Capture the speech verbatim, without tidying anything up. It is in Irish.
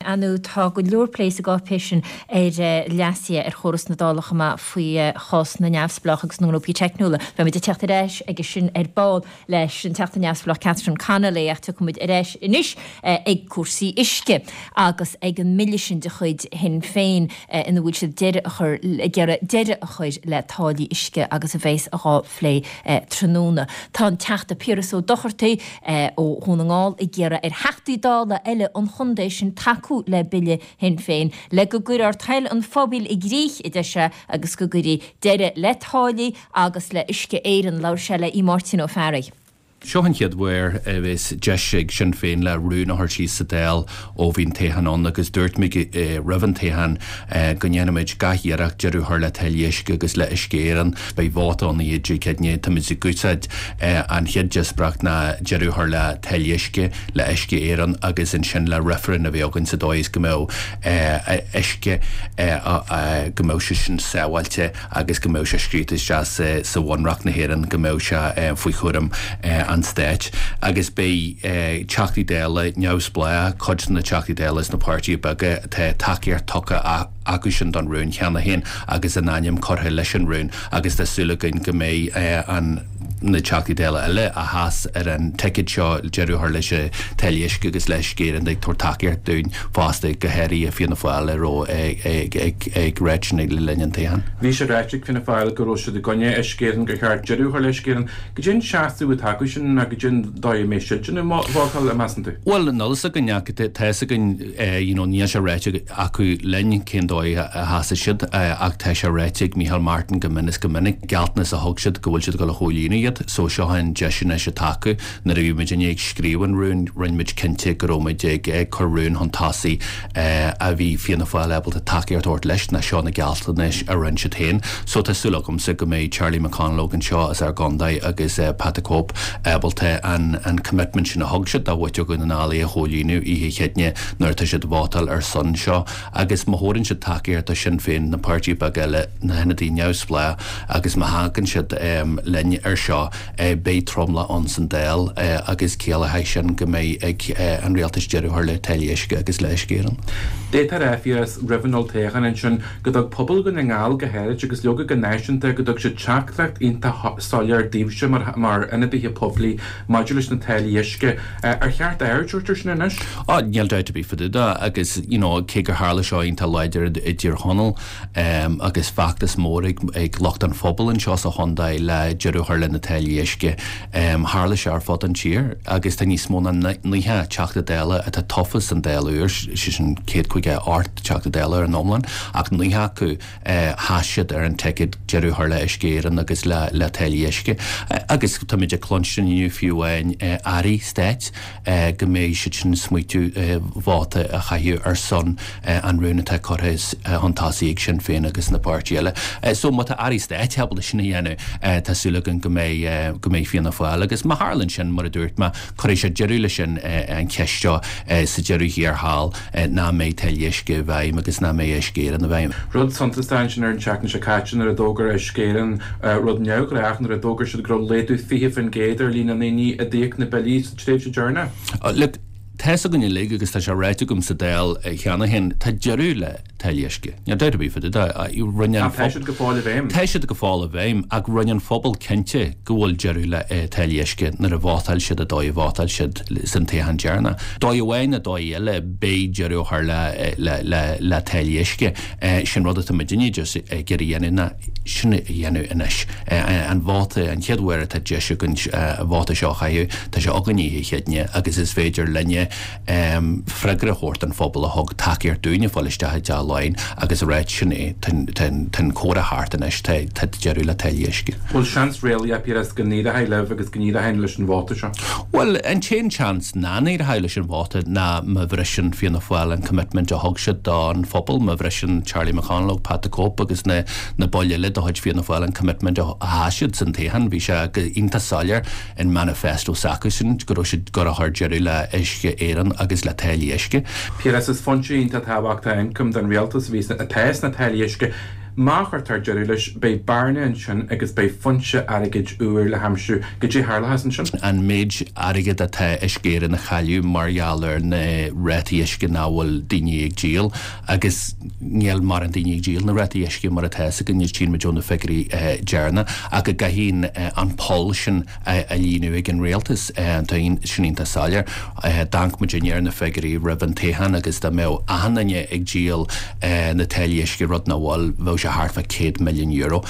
Ar ndóigh tá go leor plé sa gcáipéis sin ar leasuithe ar chóras na Dála chomh maith faoi chás na neamhspleách agus na ngrúpaí teicniúla. Beimid ag teacht ar ais aige sin ar ball leis an Teachta Neamhspleách Catherine Connolly ach tiocfaimid ar ais anois ag cúrsaí uisce agus ag an mbille sin de chuid Shinn Féin ina bhfuil siad deireadh a chur ag iarraidh deireadh a chur le táillí uisce agus a bheas á phlé tráthnóna. Tá an Teachta Piaras Ó Dochartaigh ó Dhún na nGall ag iarraidh ar Theachtaí Dála eile an chontae sin tacú le bille Shinn Féin le go gcuirfear toil an phobail i gcrích a deir sé agus go gcuirfí deireadh le táillí agus le Uisce Éireann. Labhair sé le Máirtín Ó Fearraigh. Seo an chéad uair a bheas deis ag Sinn Féin le rún a chur síos sa Dáil ó bhí an toghchán ann agus dúirt muid roimh an toghchán go ndéanfaimid gach iarracht deireadh a chur le táillí uisce agus le Uisce Éireann. Beidh vóta ann oíche Dé Céadaoine. Táimid ag úsáid an chéad díospóireacht ná deireadh a chur le táillí uisce, le Uisce Éireann agus ansin le reifreann a bheith againn sa dóigh is go mbeadh uisce go mbeadh sé sin sábháilte agus go mbeadh sé scríofa isteach sa Bhunreacht na hÉireann go mbeadh sé faoi chúram an stáit agus beidh Teachtaí Dála neamhspleách, cuid de na Teachtaí Dála is na páirtithe beaga tá tacaíocht tugtha acu sin don rún cheana féin agus a n-ainm curtha leis an rún agus tá súil againn go mbeidh an na Teachtaí Dála eile a sheas ar an ticéad seo deireadh a chur leis an táillí uisce agus le Uisce Éireann ag tabhairt tacaíocht dúinn fosta go háirithe Fianna Fáil a raibh ag ag ráit sin le linn an toghcháin. Bhí sé ráite ag Fianna Fáil go raibh siad i gcoinne Uisce Éireann gur cheart deireadh a chur le Uisce Éireann. Cad é an seasamh atá acu sin ná cad é an dóigh a mbeidh siad sin ag vótáil, measann tú? Bhuel, níl a fhios againn ach tá a fhios againn you know níl sé ráite acu linn cén dóigh a sheasfaidh siad ach tá sé ráite ag Micheál Martin go mion is go minic gealltanas a thug siad go bhfuil siad ag dul a chomhlíonadh iad so seo an deis anois atá acu nuair a bhí muid ag scríobh an rún rinne muid cinnte go raibh muid ag ag cur rún chun tosaigh a bhí Fianna Fáil ábalta tacaíocht a thabhairt leis ná seo na gealltanais a rinne siad féin so tá súil agamsa go mbeidh Charlie McConalogue anseo as ár gcontae agus Pat the Cope ábalta an an commitment sin a thug siad do mhuintir Dhún na nGall a chomhlíonadh oíche Chéadaoine nuair atá siad vótáil ar son seo agus má thabharann siad tacaíocht do Sinn Féin na páirtithe beaga eile na hionadaithe neamhspleách agus má thagann siad linn ar seo beidh tromlach ann san Dáil agus ciallóidh sin go mbeidh ag an rialtas deireadh a chur le táillí uisce agus le Uisce Éireann. D'fhéadfá a rá Phiarais roimh an olltoghchán ansin go dtug pobal Dhún na nGall go háirid agus leoga go náisiúnta go dtug siad teachtaireacht iontach soiléir daoibhse mar mar ionadaithe poiblí maidir leis na táillí uisce. Ar cheart aird a thabhairt air sin anois? Á, níl dabht ar bith fá dtaobh de agus you know cé gur tharla seo iontach láidir i dTír Chonaill agus feachtas mór ag ag lucht an phobail anseo sa chontae le deireadh a chur le na táillí uisce. Tharla sé ar fud an tír agus tá níos mó ná nócha Teachta Dála atá tofa san Dáil úr, sé sin céad caoga a hocht Teachta Dála ar an iomlán, ach nócha acu sheas siad ar an ticéad deireadh a chur le Uisce Éireann agus le le táillí uisce. Agus táimid ag cluinstin inniu fiú amháin airí stáit go mbeidh siad sin ag smaoitiú vóta a chaitheamh ar son an rún atá curtha chun tosaigh ag Sinn Féin agus na páirtithe eile. So má tá airí stáit ábalta sin a dhéanamh, tá súil againn go mbeidh go mbeidh Fianna Fáil agus má tharlaíonn sin mar a dúirt mé, cuirfidh sé deireadh leis sin an cheist seo sa deireadh thiar thall nach mbeidh táillí uisce i bhfeidhm agus nach mbeidh Uisce Éireann i bhfeidhm. Rud suntasach ansin ar an tseachtain seo caite nuair a d'fhógair Uisce Éireann rud neamhghnách nuair a d'fhógair siad go raibh laghdú fiche faoin gcéad ar líon na ndaoine a d'íoc na billí sa tréimhse deireanach. Look, tá fhios againn uilig agus tá sé ráite agam sa Dáil cheana féin, tá deireadh le táillí uisce. Níl dabht ar bith fá dtaobh de. Rinne an Tá siad go fóill i bhfeidhm. Tá siad go fóill i bhfeidhm ach rinne an phobal cinnte go bhfuil deireadh le táillí uisce nuair a vótáil siad an dóigh a vótáil siad san toghchán deireanach. Dóigh amháin nó dóigh eile beidh deireadh á chur le le le le táillí uisce. Sin rud atá muidinne just ag iarraidh a dhéanamh ná sin a dhéanamh anois. An vóta, an chéad uair atá deis againn an vóta seo a chaitheamh, tá sé againn oíche Chéadaoine agus is féidir linne freagra a thabhairt don phobal a thug tacaíocht dúinne fáil isteach i dTeach Laighean agus a ráit sin é, tá an comhrá thart anois, tá deireadh le táillí uisce. Bhfuil seans réalaíoch, Piaras, go n-éireoidh libh agus go n-éireoidh leis an vóta seo? Bhuel, an t-aon seans nach n-éireoidh leis an vóta ná má bhriseann Fianna Fáil an commitment a thug siad don phobal, má bhriseann Charlie McConalogue, Pat the Cope agus na na baill eile de chuid Fianna Fáil an commitment a sheas siad san toghchán. Bhí sé go iontach soiléir in manifesto s'acusan go raibh siad ag dul a chur deireadh le Uisce Éireann agus le táillí uisce. Piaras, is foinse iontach tábhachtach ioncaim don rialtas a bhí atá sna táillí uisce. Má chuirtear deireadh leis, beidh bearna ansin agus beidh foinse airgid úr le haimsiú. Goidé tharlóchas ansin? An méid airgid atá Uisce Éireann a chailleadh mar gheall ar na rátaí uisce nach bhfuil daoine ag díol agus níl mórán daoine ag díol na rátaí uisce mar atá fhios againn, tchíonn muid ó na figiúirí deireanacha ach go gcaithfidh an poll sin a líonadh ag an rialtas. Tá sin iontach soiléir. D'amharc muid ar na figiúirí roimh an toghchán agus dá mbeadh achan duine ag díol na táillí uisce, rud nach bhfuil, bheadh sé thart fá céad milliún euro.